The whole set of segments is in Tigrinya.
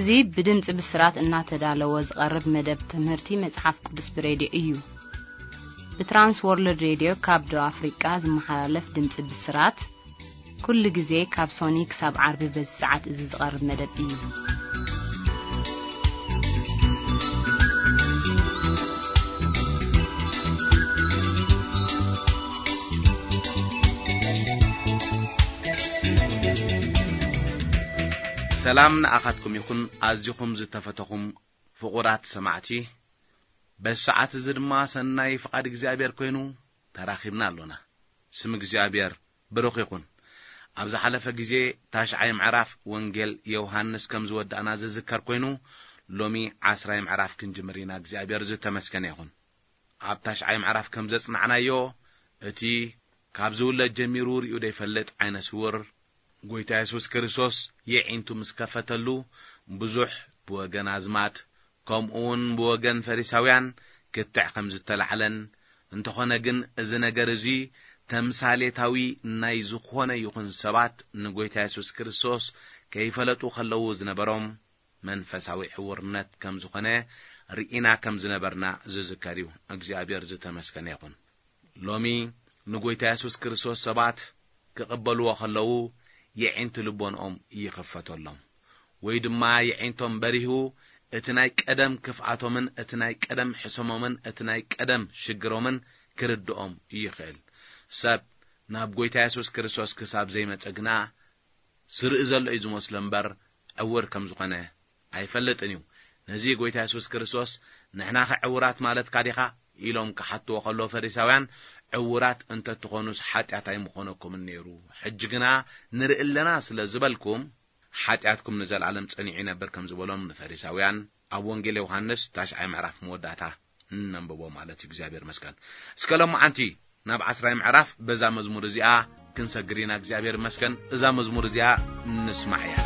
እዚ ብድምጺ ብስራት እናተዳለወ ዝቐርብ መደብ ትምህርቲ መጽሓፍ ቅዱስ ብሬድዮ እዩ። ብትራንስ ወርልድ ሬድዮ ካብ ደቡብ ኣፍሪቃ ዝመሓላለፍ ድምጺ ብስራት፣ ኩሉ ግዜ ካብ ሶኒ ክሳብ ዓርቢ በዚ ሰዓት እዚ ዝቐርብ መደብ እዩ። ሰላም ንኣኻትኩም ይኹን፣ ኣዚኹም ዝተፈተኹም ፍቑራት ሰማዕቲ። በዚ ሰዓት እዚ ድማ ሰናይ ፍቓድ እግዚኣብሔር ኮይኑ ተራኺብና ኣሎና። ስም እግዚኣብሔር ብሩኽ ይኹን። ኣብ ዝሓለፈ ግዜ ታሽዓይ ምዕራፍ ወንጌል ዮሃንስ ከም ዝወዳእና ዝዝከር ኮይኑ፣ ሎሚ ዓስራይ ምዕራፍ ክንጅምር ኢና። እግዚኣብሔር ዝተመስገነ ይኹን። ኣብ ታሽዓይ ምዕራፍ ከም ዘጽናዕናዮ፣ እቲ ካብ ዝውለድ ጀሚሩ ርእዩ ዘይፈልጥ ዓይነ ስውር፣ ጎይታ የሱስ ክርስቶስ የዒንቱ ምስ ከፈተሉ፣ ብዙሕ ብወገን ኣዝማድ፣ ከምኡ እውን ብወገን ፈሪሳውያን ክትዕ ከም ዝተላዕለን፣ እንተኾነ ግን እዚ ነገር እዚ ተምሳሌታዊ ናይ ዝኾነ ይኹን ሰባት ንጎይታ የሱስ ክርስቶስ ከይፈለጡ ከለዉ ዝነበሮም መንፈሳዊ ዕውርነት ከም ዝኾነ ርኢና ከም ዝነበርና ዝዝከር እዩ። እግዚኣብሔር ዝተመስገነ ይኹን። ሎሚ ንጎይታ የሱስ ክርስቶስ ሰባት ክቕበልዎ ከለዉ የዒንቲ ልቦንኦም ይኽፈተሎም፣ ወይ ድማ የዒንቶም በሪሁ እቲ ናይ ቀደም ክፍኣቶምን እቲ ናይ ቀደም ሕሰሞምን እቲ ናይ ቀደም ሽግሮምን ክርድኦም ይኽእል። ሰብ ናብ ጎይታ የሱስ ክርስቶስ ክሳብ ዘይመጸ ግና ዝርኢ ዘሎ እዩ ዝመስሎ እምበር ዕውር ከም ዝኾነ ኣይፈልጥን እዩ። ነዚ ጎይታ የሱስ ክርስቶስ ንሕናኸ ዕውራት ማለትካ ዲኻ ኢሎም ክሓትዎ ከለዉ ፈሪሳውያን፣ ዕውራት እንተትኾኑስ ሓጢኣት ኣይምኾነኩምን ነይሩ። ሕጂ ግና ንርኢ ኣለና ስለ ዝበልኩም ሓጢኣትኩም ንዘለኣለም ጸኒዑ ይነብር ከም ዝበሎም ንፈሪሳውያን ኣብ ወንጌል ዮሃንስ ታሽዓይ ምዕራፍ መወዳእታ እነንብቦ ማለት እዩ። እግዚኣብሔር መስገን። እስከ ሎማዓንቲ ናብ ዓስራይ ምዕራፍ በዛ መዝሙር እዚኣ ክንሰግር ኢና። እግዚኣብሔር መስገን። እዛ መዝሙር እዚኣ ንስማዕ እያ።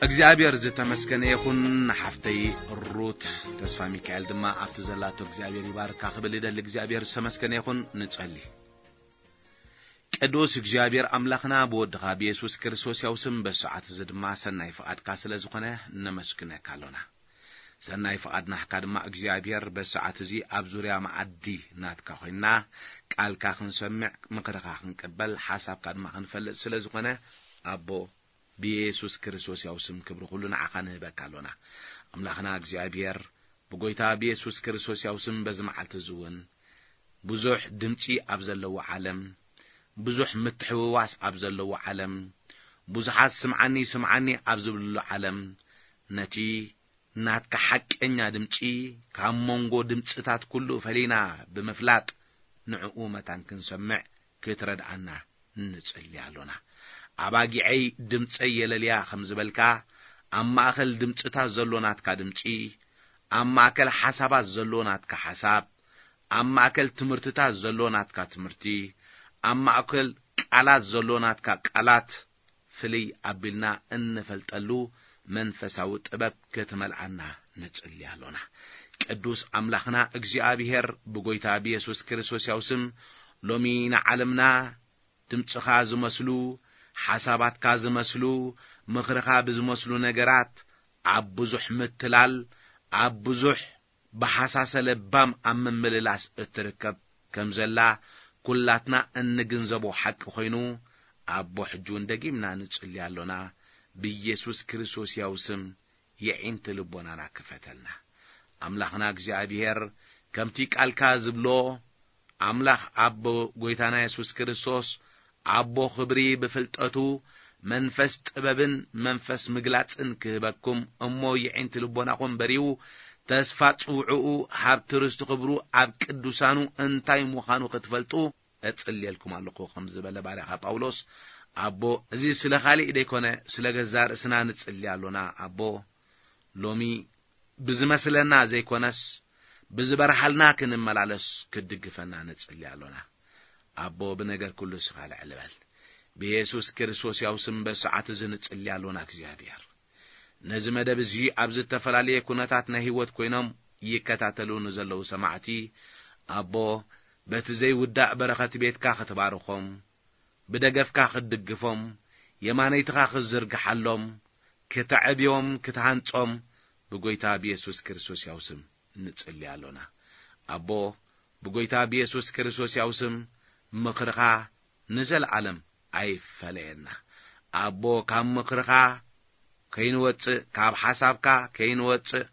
እግዚኣብሔር ዝተመስገነ ይኹን። ንሓፍተይ ሩት ተስፋ ሚካኤል ድማ ኣብቲ ዘላቶ እግዚኣብሔር ይባርካ ክብል ይደሊ። እግዚኣብሔር ዝተመስገነ ይኹን። ንጸሊ። ቅዱስ እግዚኣብሔር ኣምላኽና፣ ብወድኻ ብየሱስ ክርስቶስ ያው ስም በሰዓት እዚ ድማ ሰናይ ፍቓድካ ስለ ዝኾነ ነመስግነካ ኣሎና። ሰናይ ፍቓድ ናህካ ድማ እግዚኣብሔር በሰዓት እዚ ኣብ ዙርያ መኣዲ ናትካ ኮይንና ቃልካ ክንሰምዕ፣ ምኽርኻ ክንቅበል፣ ሓሳብካ ድማ ክንፈልጥ ስለ ዝኾነ ኣቦ ብየሱስ ክርስቶስ ያው ስም ክብሪ ኩሉ ንዓኻ ንህበካ ኣሎና። ኣምላኽና እግዚኣብሔር ብጎይታ ብየሱስ ክርስቶስ ያው ስም በዚ መዓልቲ እዚ እውን ብዙሕ ድምጺ ኣብ ዘለዎ ዓለም፣ ብዙሕ ምትሕውዋስ ኣብ ዘለዎ ዓለም፣ ብዙሓት ስምዓኒ ስምዓኒ ኣብ ዝብልሉ ዓለም ነቲ ናትካ ሓቀኛ ድምጺ ካብ መንጎ ድምጽታት ኩሉ ፈሊና ብምፍላጥ ንዕኡ መታን ክንሰምዕ ክትረድኣና ንጽሊ ኣሎና። ኣባጊዐይ ድምጸይ የለልያ ከም ዝበልካ፣ ኣብ ማእከል ድምጽታት ዘሎ ናትካ ድምጺ፣ ኣብ ማእከል ሓሳባት ዘሎ ናትካ ሓሳብ፣ ኣብ ማእከል ትምህርትታት ዘሎ ናትካ ትምህርቲ፣ ኣብ ማእከል ቃላት ዘሎ ናትካ ቃላት ፍልይ ኣቢልና እንፈልጠሉ መንፈሳዊ ጥበብ ክትመልኣና ንጽሊ ኣሎና። ቅዱስ ኣምላኽና እግዚኣብሔር ብጎይታ ብየሱስ ክርስቶስ ያው ስም ሎሚ ንዓለምና ድምጽኻ ዝመስሉ፣ ሓሳባትካ ዝመስሉ፣ ምኽርኻ ብዝመስሉ ነገራት ኣብ ብዙሕ ምትላል፣ ኣብ ብዙሕ ብሓሳሰ ለባም ኣብ ምምልላስ እትርከብ ከም ዘላ ኩላትና እንግንዘቦ ሓቂ ኮይኑ፣ ኣቦ ሕጂ እውን ደጊምና ንጽሊ ኣሎና። ብኢየሱስ ክርስቶስ ያው ስም የዒንቲ ልቦናና ክፈተልና። ኣምላኽና እግዚኣብሔር ከምቲ ቃልካ ዝብሎ ኣምላኽ ኣቦ ጎይታና የሱስ ክርስቶስ ኣቦ ክብሪ ብፍልጠቱ መንፈስ ጥበብን መንፈስ ምግላጽን ክህበኩም እሞ የዒንቲ ልቦናኹም በሪው ተስፋ ጽውዕኡ ሃብቲ ርስቲ ክብሩ ኣብ ቅዱሳኑ እንታይ ምዃኑ ክትፈልጡ እጽልየልኩም ኣለኹ ከም ዝበለ ባርያኻ ጳውሎስ ኣቦ እዚ ስለ ካሊእ ደይኮነ ስለ ገዛ ርእስና ንጽሊ ኣሎና ኣቦ ሎሚ ብዝመስለና ዘይኮነስ ብዝበርሃልና ክንመላለስ ክትድግፈና ንጽሊ ኣሎና። ኣቦ ብነገር ኩሉ ስኻ ልዕል በል። ብየሱስ ክርስቶስ ያው ስም በሰዓት እዚ ንጽሊ ኣሎና እግዚኣብሔር። ነዚ መደብ እዚ ኣብ ዝተፈላለየ ኩነታት ናይ ህይወት ኮይኖም ይከታተሉ ንዘለዉ ሰማዕቲ ኣቦ በቲ ዘይውዳእ በረኸት ቤትካ ክትባርኾም ብደገፍካ ክትድግፎም የማነይትኻ ክትዝርግሓሎም ክተዕብዮም ክትሃንጾም ብጎይታ ብየሱስ ክርስቶስ ያው ስም ንጽሊ ኣሎና። ኣቦ ብጎይታ ብየሱስ ክርስቶስ ያው ስም ምኽርኻ ንዘለዓለም ኣይፈለየና። ኣቦ ካብ ምኽርኻ ከይንወጽእ ካብ ሓሳብካ ከይንወጽእ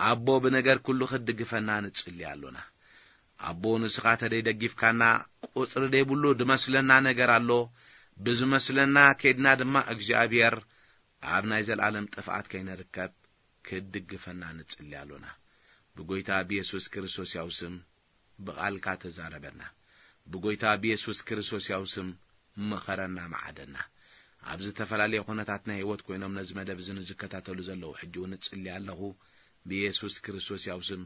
ኣቦ ብነገር ኩሉ ክትድግፈና ንጽሊ ኣሎና። ኣቦ ንስኻ ተደይ ደጊፍካና ቁጽሪ ደይብሉ ድመስለና ነገር ኣሎ። ብዝመስለና ከድና ድማ እግዚኣብሔር ኣብ ናይ ዘለዓለም ጥፍኣት ከይንርከብ ክትድግፈና ንጽሊ ኣሎና። ብጎይታ ብየሱስ ክርስቶስ ያው ስም ብቓልካ ተዛረበና። ብጎይታ ብየሱስ ክርስቶስ ያው ስም ምኸረና መዓደና። ኣብ ዝተፈላለየ ኩነታት ናይ ህይወት ኮይኖም ነዚ መደብ እዚ ንዝከታተሉ ዘለዉ ሕጂ እውን እጽሊ ኣለኹ። ብየሱስ ክርስቶስ ያው ስም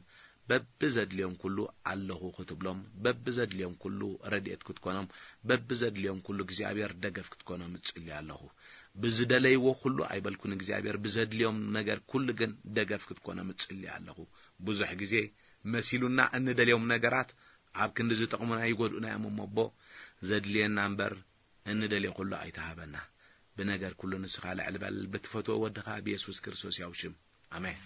በብዘድልዮም ኩሉ ኣለኹ ክትብሎም፣ በብዘድልዮም ኩሉ ረድኤት ክትኮኖም፣ በብዘድልዮም ኩሉ እግዚኣብሔር ደገፍ ክትኮኖም እጽሊ ኣለኹ። ብዝደለይዎ ኩሉ ኣይበልኩን እግዚኣብሔር ብዘድልዮም ነገር ኩሉ ግን ደገፍ ክትኮኖም እጽሊ ኣለኹ። ብዙሕ ግዜ መሲሉና እንደልዮም ነገራት ኣብ ክንዲ ዝጠቕሙና ይጎድኡና እዮም እሞ ኣቦ ዘድልየና እምበር እንደልዮ ኩሉ ኣይትሃበና። ብነገር ኩሉ ንስኻ ልዕል በል ብትፈትዎ ወድኻ ብየሱስ ክርስቶስ ያው ሽም ኣሜን።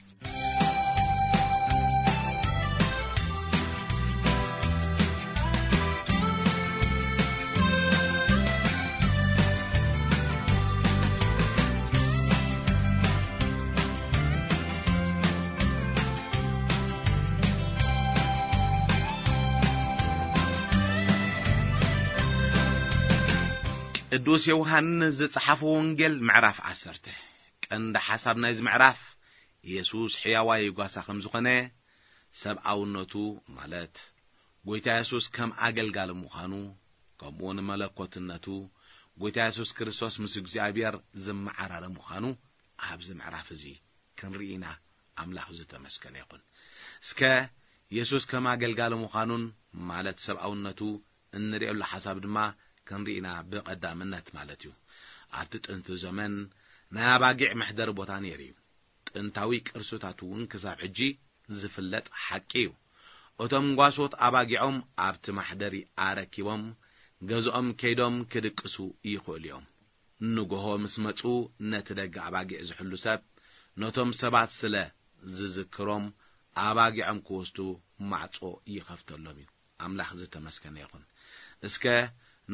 ቅዱስ ዮሃንስ ዝጸሓፎ ወንጌል ምዕራፍ ዓሰርተ። ቀንዲ ሓሳብ ናይዚ ምዕራፍ የሱስ ሕያዋይ ጓሳ ከም ዝኾነ፣ ሰብኣውነቱ ማለት ጎይታ የሱስ ከም ኣገልጋሊ ምዃኑ፣ ከምኡ እውን መለኮትነቱ፣ ጎይታ የሱስ ክርስቶስ ምስ እግዚኣብሔር ዝመዓራረ ምዃኑ ኣብዚ ምዕራፍ እዚ ክንርኢ ኢና። ኣምላኽ ዝተመስገነ ይኹን። እስከ የሱስ ከም ኣገልጋሊ ምዃኑን ማለት ሰብኣውነቱ እንርእየሉ ሓሳብ ድማ ክንርኢ ኢና ብቐዳምነት ማለት እዩ። ኣብቲ ጥንቲ ዘመን ናይ ኣባጊዕ መሕደሪ ቦታ ነይሩ እዩ። ጥንታዊ ቅርስታት እውን ክሳብ ሕጂ ዝፍለጥ ሓቂ እዩ። እቶም ጓሶት ኣባጊዖም ኣብቲ ማሕደሪ ኣረኪቦም ገዝኦም ከይዶም ክድቅሱ ይኽእሉ እዮም። ንጎሆ ምስ መጹ ነቲ ደገ ኣባጊዕ ዝሕሉ ሰብ ነቶም ሰባት ስለ ዝዝክሮም ኣባጊዖም ክወስዱ ማዕጾ ይኸፍተሎም እዩ። ኣምላኽ ዝተመስገነ ይኹን። እስከ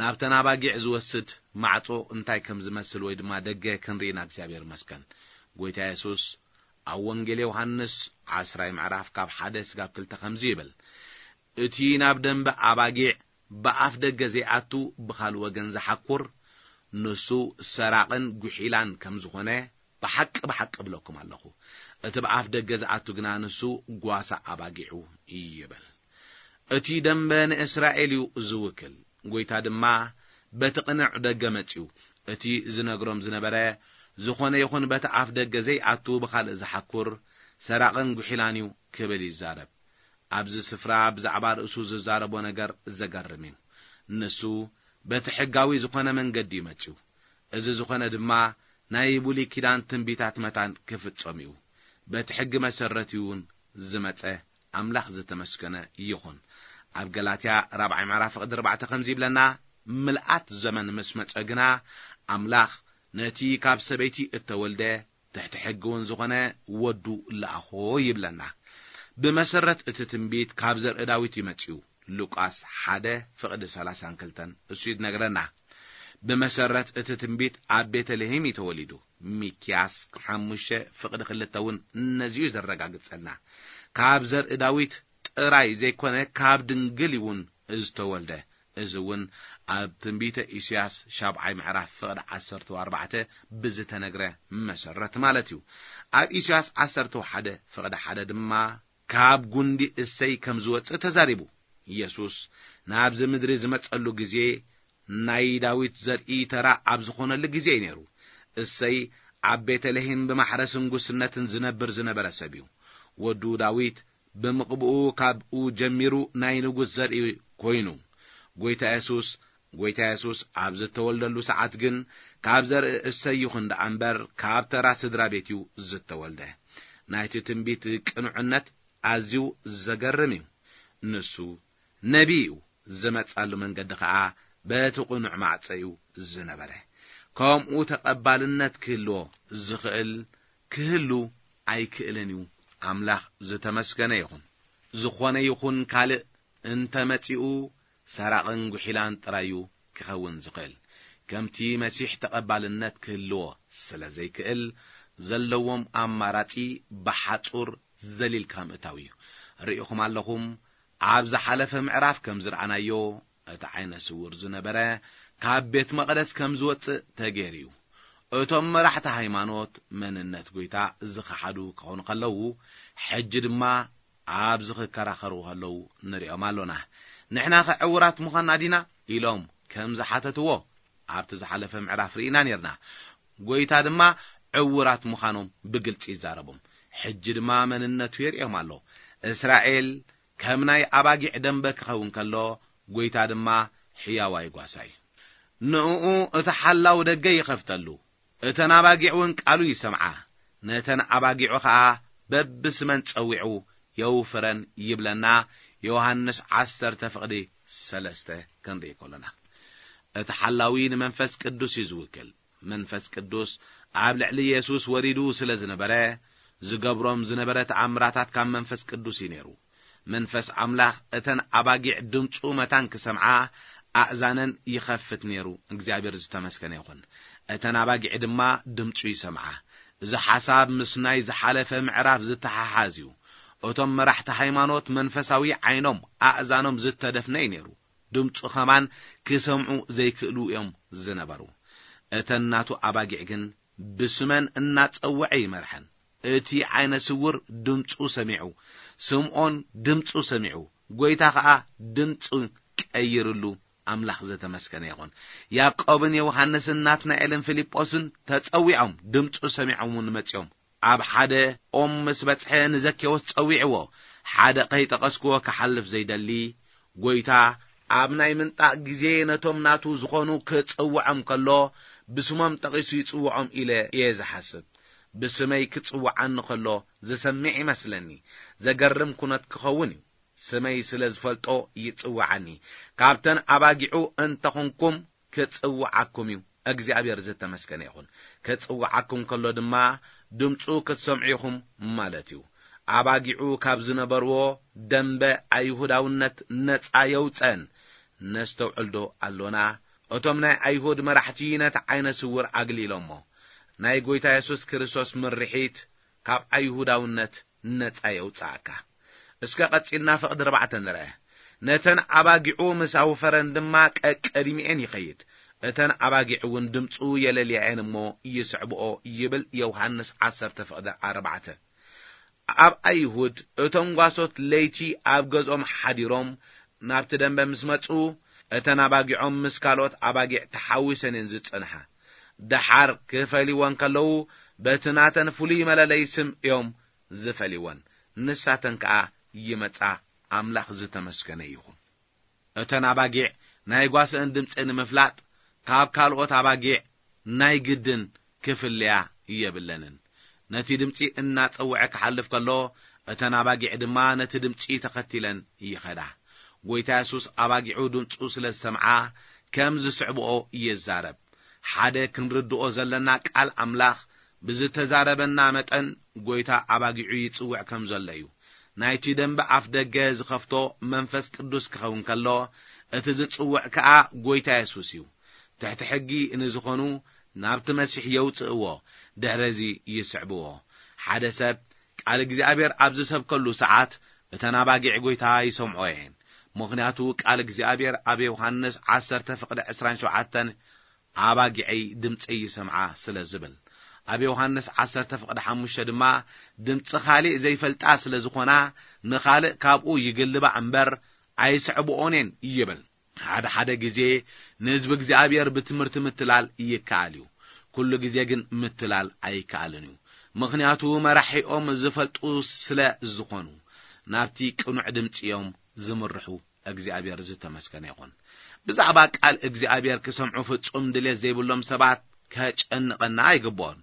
ናብተን ኣባጊዕ ዝወስድ ማዕጾ እንታይ ከም ዝመስል ወይ ድማ ደገ ክንርኢ ኢና። እግዚኣብሔር ይመስገን። ጎይታ የሱስ ኣብ ወንጌል ዮሃንስ ዓስራይ ምዕራፍ ካብ ሓደ ስጋብ ክልተ ከምዚ ይብል፣ "እቲ ናብ ደንበ ኣባጊዕ ብኣፍ ደገ ዘይኣቱ ብኻልእ ወገን ዝሓኩር ንሱ ሰራቕን ጉሒላን ከም ዝኾነ ብሓቂ ብሓቂ እብለኩም ኣለኹ። እቲ ብኣፍ ደገ ዝኣቱ ግና ንሱ ጓሳ ኣባጊዑ ይብል። እቲ ደንበ ንእስራኤል እዩ ዝውክል። ጎይታ ድማ በቲ ቅኑዕ ደገ መጺኡ። እቲ ዝነግሮም ዝነበረ ዝኾነ ይኹን በቲ ኣፍ ደገ ዘይኣቱ ብኻልእ ዝሓኩር ሰራቕን ጉሒላን እዩ ክብል ይዛረብ። ኣብዚ ስፍራ ብዛዕባ ርእሱ ዝዛረቦ ነገር ዘገርም እዩ። ንሱ በቲ ሕጋዊ ዝኾነ መንገዲ እዩ መጺኡ። እዚ ዝኾነ ድማ ናይ ብሉይ ኪዳን ትንቢታት መታን ክፍጸም እዩ። በቲ ሕጊ መሰረት እዩ እውን ዝመጸ። ኣምላኽ ዝተመስገነ ይኹን። ኣብ ገላትያ ራብዓይ ምዕራፍ ፍቕዲ ኣርባዕተ ከምዚ ይብለና፣ "ምልኣት ዘመን ምስ መጸ ግና ኣምላኽ ነቲ ካብ ሰበይቲ እተወልደ ትሕቲ ሕጊ እውን ዝኾነ ወዱ ለኣኾ" ይብለና። ብመሰረት እቲ ትንቢት ካብ ዘርኢ ዳዊት እዩ መጺኡ። ሉቃስ ሓደ ፍቕዲ ሰላሳን ክልተን እሱ ይነግረና። ብመሰረት እቲ ትንቢት ኣብ ቤተልሔም እዩ ተወሊዱ። ሚክያስ ሓሙሽተ ፍቕዲ ክልተ እውን ነዚ እዩ ዘረጋግጸልና። ካብ ዘርኢ ዳዊት ጥራይ ዘይኮነ ካብ ድንግል እውን ዝተወልደ። እዚ እውን ኣብ ትንቢተ ኢሳያስ ሻብዓይ ምዕራፍ ፍቕዲ ዓሰርተ ኣርባዕተ ብዝተነግረ መሰረት ማለት እዩ። ኣብ ኢሳያስ ዓሰርተ ሓደ ፍቕዲ ሓደ ድማ ካብ ጉንዲ እሰይ ከም ዝወጽእ ተዛሪቡ። ኢየሱስ ናብዚ ምድሪ ዝመጸሉ ግዜ ናይ ዳዊት ዘርኢ ተራ ኣብ ዝኾነሉ ግዜ እዩ ነይሩ። እሰይ ኣብ ቤተልሔም ብማሕረስን ጉስነትን ዝነብር ዝነበረ ሰብ እዩ። ወዱ ዳዊት ብምቕብኡ ካብኡ ጀሚሩ ናይ ንጉስ ዘርኢ ኮይኑ። ጎይታ የሱስ፣ ጎይታ የሱስ ኣብ ዝተወልደሉ ሰዓት ግን ካብ ዘርኢ እሰይ ይኹን ደኣ እምበር ካብ ተራ ስድራ ቤት እዩ ዝተወልደ። ናይቲ ትንቢት ቅኑዕነት ኣዝዩ ዘገርም እዩ። ንሱ ነቢይ እዩ፣ ዝመጻሉ መንገዲ ኸኣ በቲ ቅኑዕ ማዕጾ እዩ ዝነበረ። ከምኡ ተቐባልነት ክህልዎ ዝኽእል ክህሉ ኣይክእልን እዩ። ኣምላኽ ዝተመስገነ ይኹን። ዝኾነ ይኹን ካልእ እንተ መጺኡ ሰራቕን ጉሒላን ጥራይ እዩ ክኸውን ዝኽእል። ከምቲ መሲሕ ተቐባልነት ክህልዎ ስለ ዘይክእል ዘለዎም ኣማራጺ ብሓጹር ዘሊልካ ምእታው እዩ። ርኢኹም ኣለኹም፣ ኣብ ዝሓለፈ ምዕራፍ ከም ዝረኣናዮ እቲ ዓይነ ስውር ዝነበረ ካብ ቤት መቕደስ ከም ዝወጽእ ተገይሩ እዩ። እቶም መራሕቲ ሃይማኖት መንነት ጎይታ ዝኸሓዱ ክኾኑ ከለዉ፣ ሕጂ ድማ ኣብዚ ክከራኸሩ ከለዉ ንሪኦም ኣሎና። ንሕናኸ ዕዉራት ምዃንና ዲና? ኢሎም ከም ዝሓተትዎ ኣብቲ ዝሓለፈ ምዕራፍ ርኢና ኔርና። ጎይታ ድማ ዕዉራት ምዃኖም ብግልጺ ይዛረቦም። ሕጂ ድማ መንነቱ የርእዮም ኣሎ። እስራኤል ከም ናይ ኣባጊዕ ደንበ ክኸውን ከሎ፣ ጎይታ ድማ ሕያዋይ ጓሳ እዩ። ንእኡ እቲ ሓላው ደገ ይኸፍተሉ፣ እተን ኣባጊዕ እውን ቃሉ ይሰምዓ። ነተን ኣባጊዑ ኸኣ በብስመን ጸዊዑ የውፍረን ይብለና። ዮሃንስ ዓሰርተ ፍቕዲ ሰለስተ ክንርኢ ከሎና፣ እቲ ሓላዊ ንመንፈስ ቅዱስ እዩ ዝውክል። መንፈስ ቅዱስ ኣብ ልዕሊ የሱስ ወሪዱ ስለ ዝነበረ፣ ዝገብሮም ዝነበረ ተኣምራታት ካብ መንፈስ ቅዱስ እዩ ነይሩ። መንፈስ ኣምላኽ እተን ኣባጊዕ ድምፁ መታን ክሰምዓ ኣእዛነን ይኸፍት ነይሩ። እግዚኣብሔር ዝተመስገነ ይኹን። እተን ኣባጊዕ ድማ ድምፁ ይሰምዓ። እዚ ሓሳብ ምስ ናይ ዝሓለፈ ምዕራፍ ዝተሓሓዝ እዩ። እቶም መራሕቲ ሃይማኖት መንፈሳዊ ዓይኖም ኣእዛኖም ዝተደፍነ እዩ ነይሩ። ድምፁ ኸማን ክሰምዑ ዘይክእሉ እዮም ዝነበሩ። እተን ናቱ ኣባጊዕ ግን ብስመን እናጸውዐ ይመርሐን። እቲ ዓይነ ስውር ድምፁ ሰሚዑ፣ ስምዖን ድምፁ ሰሚዑ፣ ጎይታ ኸኣ ድምፁ ቀይርሉ። ኣምላኽ ዘተመስገነ ይኹን። ያዕቆብን ዮሃንስን ናትናኤልን ፊልጶስን ተጸዊዖም፣ ድምፁ ሰሚዖም እውን መጺኦም። ኣብ ሓደ ኦም ምስ በጽሐ ንዘኬዎስ ጸዊዕዎ፣ ሓደ ኸይጠቐስክዎ ክሓልፍ ዘይደሊ። ጎይታ ኣብ ናይ ምንጣቕ ግዜ ነቶም ናቱ ዝኾኑ ክጽውዖም ከሎ፣ ብስሞም ጠቒሱ ይጽውዖም ኢለ እየ ዝሓስብ። ብስመይ ክጽውዓኒ ከሎ ዝሰምዕ ይመስለኒ። ዘገርም ኩነት ክኸውን እዩ። ስመይ ስለ ዝፈልጦ ይጽውዓኒ። ካብተን ኣባጊዑ እንተኹንኩም ክጽውዓኩም እዩ። እግዚኣብሔር ዝተመስገነ ይኹን። ክጽውዓኩም ከሎ ድማ ድምፁ ክትሰምዑ ኢኹም ማለት እዩ። ኣባጊዑ ካብ ዝነበርዎ ደንበ ኣይሁዳውነት ነጻ የውፀን። ነስተውዕልዶ ኣሎና? እቶም ናይ ኣይሁድ መራሕቲ ነቲ ዓይነ ስውር ኣግሊሎሞ። ናይ ጎይታ የሱስ ክርስቶስ ምርሒት ካብ ኣይሁዳውነት ነጻ የውጽኣካ። እስከ ቀጺልና ፍቕዲ ኣርባዕተ ንርአ። ነተን ኣባጊዑ ምስ ኣውፈረን ድማ ቀቀዲሚኤን ይኸይድ። እተን ኣባጊዕ እውን ድምፁ የለልያኤን እሞ ይስዕብኦ ይብል ዮሃንስ ዓሰርተ ፍቕዲ ኣርባዕተ። ኣብ ኣይሁድ እቶም ጓሶት ለይቲ ኣብ ገዝኦም ሓዲሮም ናብቲ ደንበ ምስ መጹ፣ እተን ኣባጊዖም ምስ ካልኦት ኣባጊዕ ተሓዊሰን እየን ዝጸንሓ። ደሓር ክፈልይወን ከለዉ በቲ ናተን ፍሉይ መለለይ ስም እዮም ዝፈልይወን። ንሳተን ከኣ ይመጻ። ኣምላኽ ዝተመስገነ ይኹን። እተን ኣባጊዕ ናይ ጓስአን ድምጺ ንምፍላጥ ካብ ካልኦት ኣባጊዕ ናይ ግድን ክፍለያ የብለንን። ነቲ ድምጺ እናጸውዐ ክሓልፍ ከሎ፣ እተን ኣባጊዕ ድማ ነቲ ድምጺ ተኸቲለን ይኸዳ። ጎይታ የሱስ ኣባጊዑ ድምጹ ስለ ዝሰምዓ ከም ዝስዕብኦ ይዛረብ። ሓደ ክንርድኦ ዘለና ቃል ኣምላኽ ብዝተዛረበና መጠን ጎይታ ኣባጊዑ ይጽውዕ ከም ዘሎ እዩ። ናይቲ ደንበ ኣፍ ደገ ዝኸፍቶ መንፈስ ቅዱስ ክኸውን ከሎ፣ እቲ ዝጽውዕ ከኣ ጎይታ የሱስ እዩ። ትሕቲ ሕጊ ንዝኾኑ ናብቲ መሲሕ የውጽእዎ፣ ድሕረዚ ይስዕብዎ። ሓደ ሰብ ቃል እግዚኣብሔር ኣብ ዝሰብከሉ ሰዓት እተን ኣባጊዕ ጎይታ ይሰምዖ እየን። ምኽንያቱ ቃል እግዚኣብሔር ኣብ ዮሃንስ ዓሰርተ ፍቕዲ ዕስራን ሸውዓተን ኣባጊዐይ ድምፀይ ይሰምዓ ስለ ዝብል። ኣብ ዮሃንስ ዓሰርተ ፍቕዲ ሓሙሽተ ድማ ድምፂ ካልእ ዘይፈልጣ ስለ ዝኾና ንኻልእ ካብኡ ይግልባ እምበር ኣይስዕብኦን እየን ይብል። ሓደ ሓደ ግዜ ንህዝቢ እግዚኣብሔር ብትምህርቲ ምትላል ይከኣል እዩ። ኩሉ ግዜ ግን ምትላል ኣይከኣልን እዩ። ምኽንያቱ መራሒኦም ዝፈልጡ ስለ ዝኾኑ ናብቲ ቅኑዕ ድምፂ እዮም ዝምርሑ። እግዚኣብሔር ዝተመስገነ ይኹን። ብዛዕባ ቃል እግዚኣብሔር ክሰምዑ ፍጹም ድሌት ዘይብሎም ሰባት ከጨንቐና ኣይግብኦን።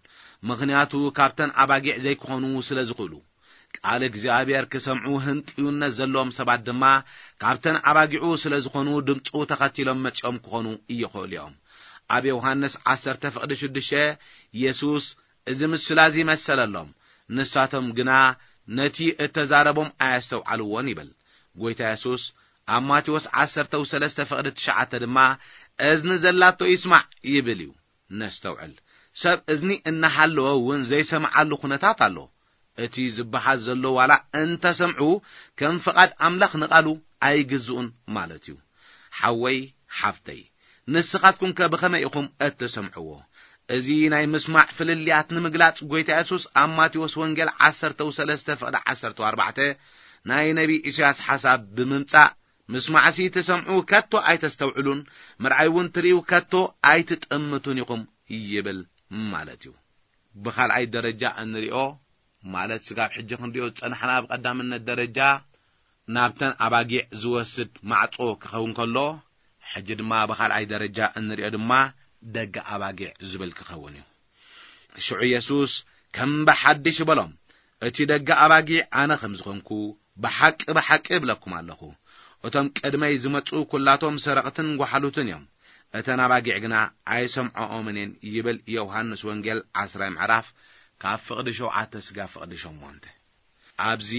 ምኽንያቱ ካብተን ኣባጊዕ ዘይክኾኑ ስለ ዝኽእሉ። ቃል እግዚኣብሔር ክሰምዑ ህንጥዩነት ዘለዎም ሰባት ድማ ካብተን ኣባጊዑ ስለ ዝኾኑ ድምፁ ተኸቲሎም መጺኦም ክኾኑ ይኽእሉ እዮም። ኣብ ዮሃንስ ዓሰርተ ፍቕዲ ሽዱሽተ የሱስ እዚ ምስላ እዚ መሰለሎም። ንሳቶም ግና ነቲ እተዛረቦም ኣያስተውዓልዎን ይብል። ጎይታ የሱስ ኣብ ማቴዎስ ዓሰርተ ሰለስተ ፍቕዲ ትሽዓተ ድማ እዝኒ ዘላቶ ይስማዕ ይብል እዩ። ነስተውዕል። ሰብ እዝኒ እናሃለወ እውን ዘይሰምዓሉ ኩነታት ኣሎ። እቲ ዝበሃል ዘሎ ዋላ እንተሰምዑ ከም ፍቓድ ኣምላኽ ንቓሉ ኣይግዝኡን ማለት እዩ። ሓወይ ሓፍተይ ንስኻትኩምከ ብኸመይ ኢኹም እትሰምዕዎ? እዚ ናይ ምስማዕ ፍልልያት ንምግላጽ ጎይታ የሱስ ኣብ ማቴዎስ ወንጌል ዓሰርተ ሰለስተ ፍቕዲ ዓሰርተ ኣርባዕተ ናይ ነቢ ኢሳያስ ሓሳብ ብምምጻእ ምስማዕሲ ትሰምዑ ከቶ ኣይተስተውዕሉን፣ ምርኣይ እውን ትርእዩ ከቶ ኣይትጥምቱን ኢኹም ይብል ማለት እዩ። ብኻልኣይ ደረጃ እንሪኦ ማለት ስጋብ ሕጂ ክንሪኦ ዝጸናሕና ብቐዳምነት ደረጃ ናብተን ኣባጊዕ ዝወስድ ማዕጾ ክኸውን ከሎ፣ ሕጂ ድማ ብኻልኣይ ደረጃ እንሪኦ ድማ ደገ ኣባጊዕ ዝብል ክኸውን እዩ። ሽዑ የሱስ ከም ብሓድሽ በሎም፣ እቲ ደገ ኣባጊዕ ኣነ ከም ዝኾንኩ ብሓቂ ብሓቂ እብለኩም ኣለኹ፣ እቶም ቅድመይ ዝመጹ ኩላቶም ሰረቕትን ጓሓሉትን እዮም፣ እተን ኣባጊዕ ግና ኣይሰምዖኦምን እየን ይብል ዮሃንስ ወንጌል ዓስራይ ምዕራፍ ካብ ፍቕዲ ሸውዓተ ስጋብ ፍቕዲ ሸሞንተ። ኣብዚ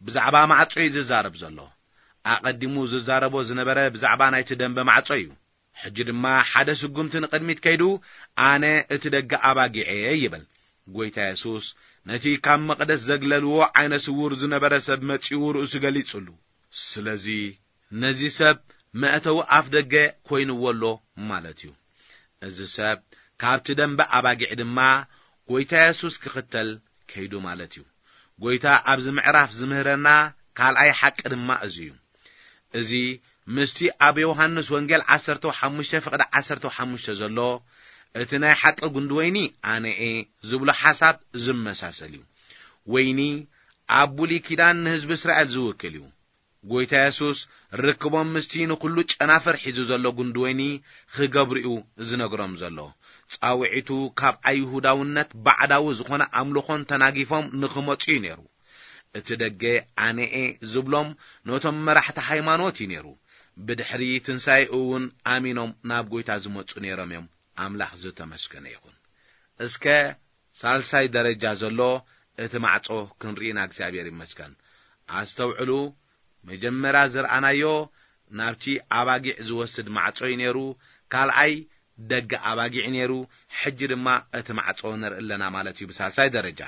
ብዛዕባ ማዕጾ እዩ ዝዛረብ ዘሎ። ኣቐዲሙ ዝዛረቦ ዝነበረ ብዛዕባ ናይቲ ደንበ ማዕጾ እዩ። ሕጂ ድማ ሓደ ስጉምቲ ንቕድሚት ከይዱ ኣነ እቲ ደገ ኣባጊዕ እየ ይብል። ጎይታ የሱስ ነቲ ካብ መቕደስ ዘግለልዎ ዓይነ ስውር ዝነበረ ሰብ መጺኡ ርእሱ ገሊጹሉ። ስለዚ ነዚ ሰብ መእተዊ ኣፍ ደገ ኮይንዎ ኣሎ ማለት እዩ። እዚ ሰብ ካብቲ ደንበ ኣባጊዕ ድማ ጎይታ የሱስ ክኽተል ከይዱ ማለት እዩ። ጎይታ ኣብዚ ምዕራፍ ዝምህረና ካልኣይ ሓቂ ድማ እዚ እዩ። እዚ ምስቲ ኣብ ዮሃንስ ወንጌል ዓሰርተ ሓሙሽተ ፍቕዲ ዓሰርተ ሓሙሽተ ዘሎ እቲ ናይ ሓቂ ጉንዲ ወይኒ ኣነ እየ ዝብሎ ሓሳብ ዝመሳሰል እዩ። ወይኒ ኣብ ብሉይ ኪዳን ንህዝቢ እስራኤል ዝውክል እዩ። ጎይታ የሱስ ርክቦም ምስቲ ንኹሉ ጨናፍር ሒዙ ዘሎ ጉንዲ ወይኒ ክገብሩ እዩ ዝነግሮም ዘሎ። ጻውዒቱ ካብ ኣይሁዳውነት ባዕዳዊ ዝኾነ ኣምልኾን ተናጊፎም ንኽመጹ እዩ ነይሩ። እቲ ደገ ኣነኤ ዝብሎም ነቶም መራሕቲ ሃይማኖት እዩ ነይሩ። ብድሕሪ ትንሳኤኡ እውን ኣሚኖም ናብ ጐይታ ዝመጹ ነይሮም እዮም። ኣምላኽ ዝተመስገነ ይኹን። እስከ ሳልሳይ ደረጃ ዘሎ እቲ ማዕጾ ክንርኢና እግዚኣብሔር ይመስገን። ኣስተውዕሉ፣ መጀመርያ ዝረኣናዮ ናብቲ ኣባጊዕ ዝወስድ ማዕጾ እዩ ነይሩ። ካልኣይ ደገ ኣባጊዕ ነይሩ። ሕጂ ድማ እቲ ማዕጾ ንርኢ ኣለና ማለት እዩ ብሳልሳይ ደረጃ።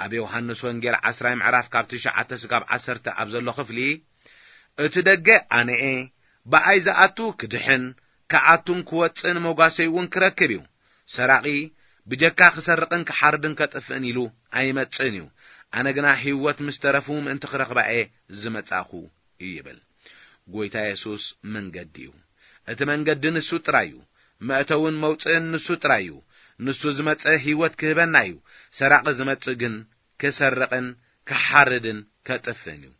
ኣብ ዮሃንስ ወንጌል ዓስራይ ምዕራፍ ካብ ትሽዓተ ስጋብ ዓሰርተ ኣብ ዘሎ ክፍሊ፣ እቲ ደገ ኣነኤ፣ ብኣይ ዝኣቱ ክድሕን፣ ክኣቱን ክወጽእን መጓሰይ እውን ክረክብ እዩ። ሰራቒ ብጀካ ክሰርቕን ክሓርድን ከጥፍእን ኢሉ ኣይመጽእን እዩ። ኣነ ግና ህይወት ምስ ተረፉ ምእንቲ ክረኽባ እየ ዝመጻእኹ ይብል። ጐይታ የሱስ መንገዲ እዩ። እቲ መንገዲ ንሱ ጥራይ እዩ። መእተውን መውጽእን ንሱ ጥራይ እዩ። ንሱ ዝመጸ ህይወት ክህበና እዩ። ሰራቒ ዝመጽእ ግን ክሰርቕን ክሓርድን ከጥፍእን እዩ።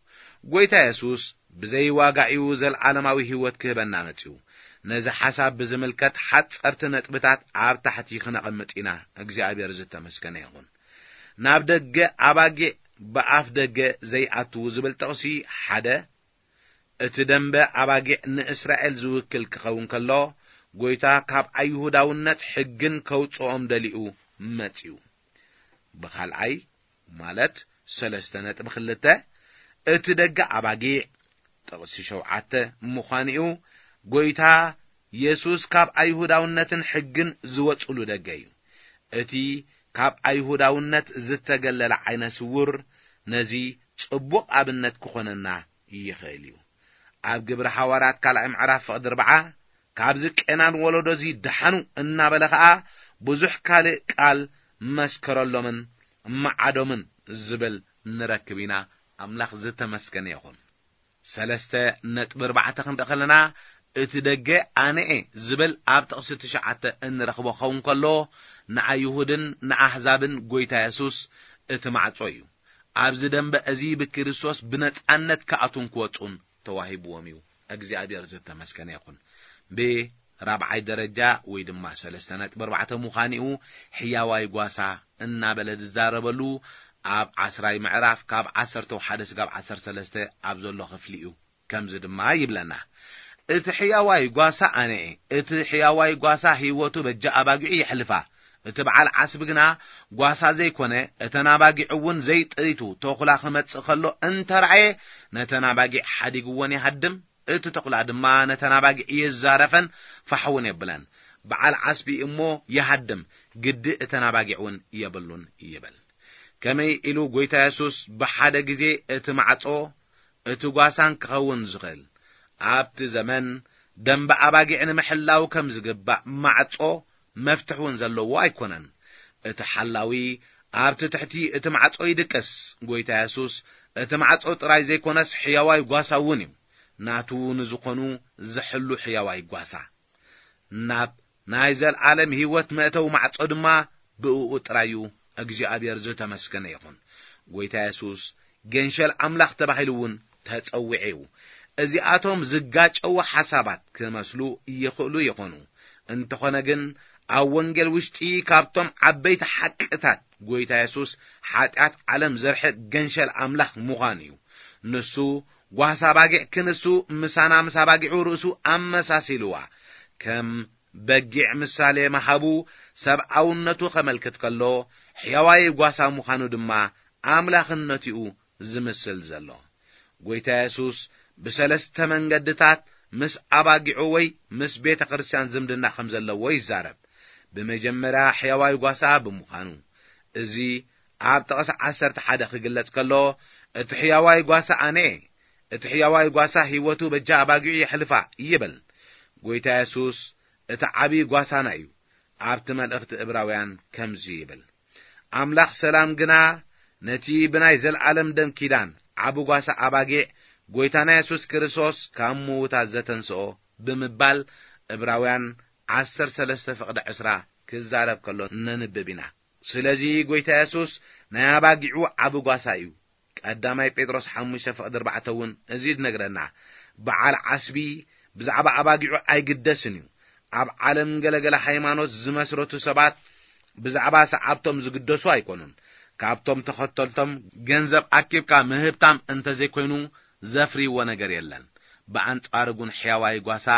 ጐይታ የሱስ ብዘይ ዋጋ እዩ ዘለዓለማዊ ህይወት ክህበና መጺኡ። ነዚ ሓሳብ ብዝምልከት ሓጸርቲ ነጥብታት ኣብ ታሕቲ ክነቐምጥ ኢና። እግዚኣብሔር ዝተመስገነ ይኹን። ናብ ደገ ኣባጊዕ ብኣፍ ደገ ዘይኣትዉ ዝብል ጥቕሲ ሓደ፣ እቲ ደንበ ኣባጊዕ ንእስራኤል ዝውክል ክኸውን ከሎ፣ ጐይታ ካብ ኣይሁዳውነት ሕግን ከውጽኦም ደሊኡ መጺኡ። ብኻልኣይ፣ ማለት ሰለስተ ነጥቢ ክልተ፣ እቲ ደገ ኣባጊዕ ጥቕሲ ሸውዓተ ምዃኑ'ዩ። ጐይታ የሱስ ካብ ኣይሁዳውነትን ሕግን ዝወጽሉ ደገ እዩ። እቲ ካብ ኣይሁዳውነት ዝተገለለ ዓይነ ስውር ነዚ ጽቡቕ ኣብነት ክኾነና ይኽእል እዩ። ኣብ ግብሪ ሓዋርያት ካልኣይ ምዕራፍ ፍቕዲ ኣርብዓ፣ "ካብዚ ቄናን ወለዶዚ ደሓኑ" እናበለ ኸኣ ብዙሕ ካልእ ቃል መስከረሎምን መዓዶምን ዝብል ንረክብ ኢና። ኣምላኽ ዝተመስገነ ይኹን። ሰለስተ ነጥቢ ኣርባዕተ ክንርኢ ከለና፣ እቲ ደገ ኣነኤ ዝብል ኣብ ጥቕሲ ትሽዓተ እንረኽቦ ክኸውን ከሎ፣ ንኣይሁድን ንኣህዛብን ጐይታ የሱስ እቲ ማዕጾ እዩ። ኣብዚ ደንበ እዚ ብክርስቶስ ብነጻነት ክኣትዉን ክወጹን ተዋሂብዎም እዩ። እግዚኣብሔር ዝተመስገነ ይኹን። ብራብዓይ ደረጃ ወይ ድማ ሰለስተ ነጥቢ ኣርባዕተ ምዃኒኡ ሕያዋይ ጓሳ እናበለ ዝዛረበሉ ኣብ ዓስራይ ምዕራፍ ካብ ዓሰርተ ሓደ ስጋብ ዓሰርተ ሰለስተ ኣብ ዘሎ ክፍሊ እዩ። ከምዚ ድማ ይብለና፣ "እቲ ሕያዋይ ጓሳ ኣነ እየ። እቲ ሕያዋይ ጓሳ ህይወቱ በጃ ኣባጊዑ የሕልፋ። እቲ በዓል ዓስቢ ግና ጓሳ ዘይኮነ፣ እተን ኣባጊዑ እውን ዘይጥሪቱ ተኹላ ክመጽእ ከሎ እንተረኣየ፣ ነተን ኣባጊዕ ሓዲግወን ይሃድም። እቲ ተኹላ ድማ ነተን ኣባጊዕ የዛረፈን ፋሕውን የብለን። በዓል ዓስቢ እሞ ይሃድም፣ ግዲ እተን ኣባጊዕ እውን የብሉን" ይብል። ከመይ ኢሉ ጐይታ የሱስ ብሓደ ግዜ እቲ ማዕጾ እቲ ጓሳን ክኸውን ዝኽእል? ኣብቲ ዘመን ደንበ ኣባጊዕ ንምሕላው ከም ዝግባእ ማዕጾ መፍትሕ እውን ዘለዎ ኣይኮነን። እቲ ሓላዊ ኣብቲ ትሕቲ እቲ ማዕጾ ይድቅስ። ጐይታ የሱስ እቲ ማዕጾ ጥራይ ዘይኮነስ ሕያዋይ ጓሳ እውን እዩ። ናቱ ንዝኾኑ ዝሕሉ ሕያዋይ ጓሳ። ናብ ናይ ዘልዓለም ህይወት መእተዊ ማዕጾ ድማ ብእኡ ጥራይ እዩ። እግዚኣብሔር ዝተመስገነ ይኹን። ጐይታ የሱስ ገንሸል ኣምላኽ ተባሂሉ እውን ተጸዊዑ እዩ። እዚኣቶም ዝጋጨዉ ሓሳባት ክመስሉ ይኽእሉ ይኾኑ። እንተኾነ ግን ኣብ ወንጌል ውሽጢ ካብቶም ዓበይቲ ሓቅታት ጐይታ የሱስ ሓጢኣት ዓለም ዘርሕቕ ገንሸል ኣምላኽ ምዃኑ እዩ። ንሱ ጓሳ ባጊዕ ክንሱ ምሳና ምስ ኣባጊዑ ርእሱ ኣመሳሲልዋ። ከም በጊዕ ምሳሌ ምሃቡ ሰብኣውነቱ ከመልክት ከሎ፣ ሕያዋይ ጓሳ ምዃኑ ድማ ኣምላኽነቱ እዩ ዝምስል ዘሎ። ጐይታ የሱስ ብሰለስተ መንገድታት ምስ ኣባጊዑ ወይ ምስ ቤተ ክርስቲያን ዝምድና ከም ዘለዎ ይዛረብ። ብመጀመርያ ሕያዋይ ጓሳ ብምዃኑ፣ እዚ ኣብ ጥቕሲ ዓሰርተ ሓደ ክግለጽ ከሎ፣ "እቲ ሕያዋይ ጓሳ ኣነ እየ። እቲ ሕያዋይ ጓሳ ህይወቱ በጃ ኣባጊዑ የሕልፋ" ይብል። ጐይታ የሱስ እቲ ዓቢ ጓሳና እዩ። ኣብቲ መልእኽቲ እብራውያን ከምዚ ይብል፣ "ኣምላኽ ሰላም ግና ነቲ ብናይ ዘለኣለም ደም ኪዳን ዓቢ ጓሳ ኣባጊዕ ጐይታና የሱስ ክርስቶስ ካብ ምዉታት ዘተንስኦ" ብምባል እብራውያን ዓሰርተ ሰለስተ ፍቕዲ ዕስራ ክዛረብ ከሎ ነንብብ ኢና። ስለዚ ጐይታ የሱስ ናይ ኣባጊዑ ዓቢ ጓሳ እዩ። ቀዳማይ ጴጥሮስ ሓሙሽተ ፍቕዲ ኣርባዕተ እውን እዚ ዝነግረና፣ በዓል ዓስቢ ብዛዕባ ኣባጊዑ ኣይግደስን እዩ። ኣብ ዓለም ገለገለ ሃይማኖት ዝመስረቱ ሰባት ብዛዕባ ሰዓብቶም ዝግደሱ ኣይኮኑን። ካብቶም ተኸተልቶም ገንዘብ ኣኪብካ ምህብታም እንተዘይኮይኑ ዘፍርይዎ ነገር የለን። ብኣንጻሩ ግን ሕያዋይ ጓሳ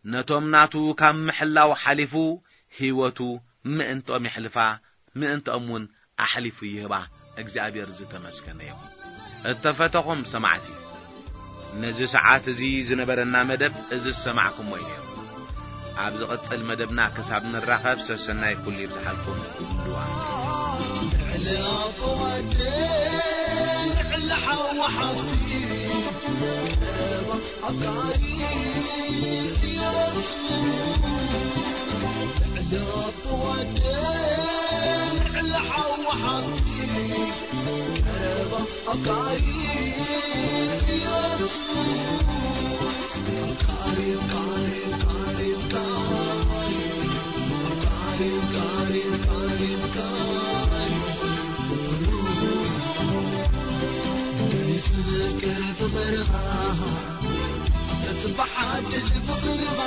ነቶም ናቱ ካብ ምሕላው ሓሊፉ ህይወቱ ምእንቶም የሕልፋ፣ ምእንቶም እውን ኣሕሊፉ ይህባ። እግዚኣብሔር ዝተመስገነ ይኹን። እተፈተኹም ሰማዕቲ፣ ነዚ ሰዓት እዚ ዝነበረና መደብ እዚ ዝሰማዕኩሞ እዩ ነይሩ። ኣብ ዝቕጽል መደብና ክሳብ ንራኸብ ሰሰናይ ኩሉ ይብዝሓልኩም። ልዋ ልዕሊ ኣቦ ወዲ፣ ልዕሊ ሓዊ ሓብቲ፣ ኣፍቃሪ ኢየሱስ። ልዕሊ ኣቦ ወዲ፣ ልዕሊ ሓዊ ሓብቲ፣ ቀረባ ኣፍቃሪ ኢየሱስ። ኣፍቃሪ፣ ኣፍቃሪ፣ ኣፍቃሪ፣ ኣፍቃሪ፣ ኣፍቃሪ፣ ኣፍቃሪ፣ ኣፍቃሪ፣ ኣፍቃሪ። መሊሱ ፍቅር ፍቅርኻ፣ ተጽባሕ ሓድሽ ፍቅርኻ።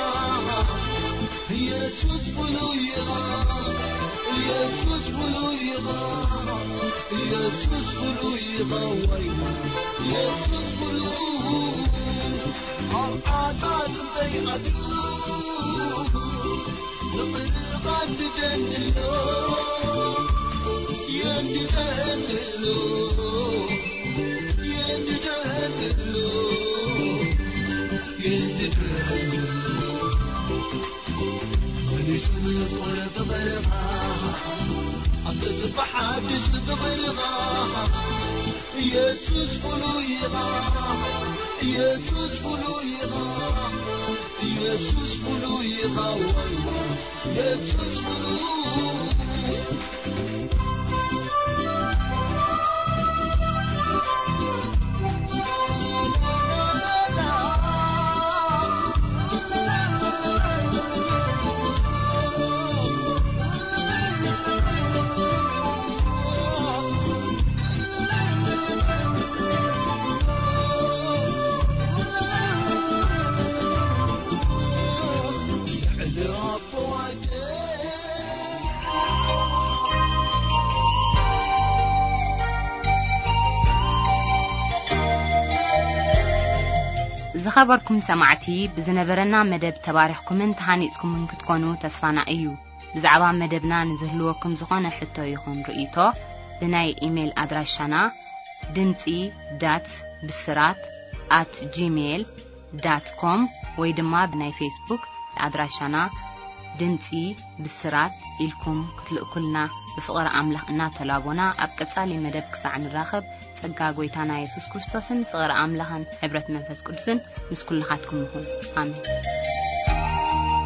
ኢየሱስ ፍሉይ ኢኻ፣ ኢየሱስ ፍሉይ ኢኻ፣ ኢየሱስ ፍሉይ ኢኻ፣ ወይ ኢየሱስ ፍሉይ። ኣብ ዓጻጽምተይ ኣትዩ ፍቅርኻ የንድደኒ ኣሎ፣ የንድደኒ ኣሎ፣ የንድደኒ ኣሎ፣ የንድደኒ ኣሎ። መሊሱ ፍቅር ፍቅርኻ፣ ኣብ ተስፋ ሓድሽ ፍቅርኻ። ኢየሱስ ፍሉይ ኢኻ፣ ኢየሱስ ፍሉይ ኢኻ፣ ኢየሱስ ፍሉይ ኢኻ፣ ወይ ኢየሱስ ፍሉይ። ዝኸበርኩም ሰማዕቲ፣ ብዝነበረና መደብ ተባሪኽኩምን ተሃኒጽኩምን ክትኮኑ ተስፋና እዩ። ብዛዕባ መደብና ንዝህልወኩም ዝኾነ ሕቶ ይኹን ርእይቶ፣ ብናይ ኢሜይል ኣድራሻና ድምጺ ዳት ብስራት ኣት ጂሜይል ዳት ኮም ወይ ድማ ብናይ ፌስቡክ ኣድራሻና ድምጺ ብስራት ኢልኩም ክትልእኩልና ብፍቕሪ ኣምላኽ እናተላቦና፣ ኣብ ቀጻሊ መደብ ክሳዕ ንራኸብ፣ ጸጋ ጐይታና የሱስ ክርስቶስን ፍቕሪ ኣምላኽን ሕብረት መንፈስ ቅዱስን ምስ ኩልኻትኩም ይኹን። ኣሜን።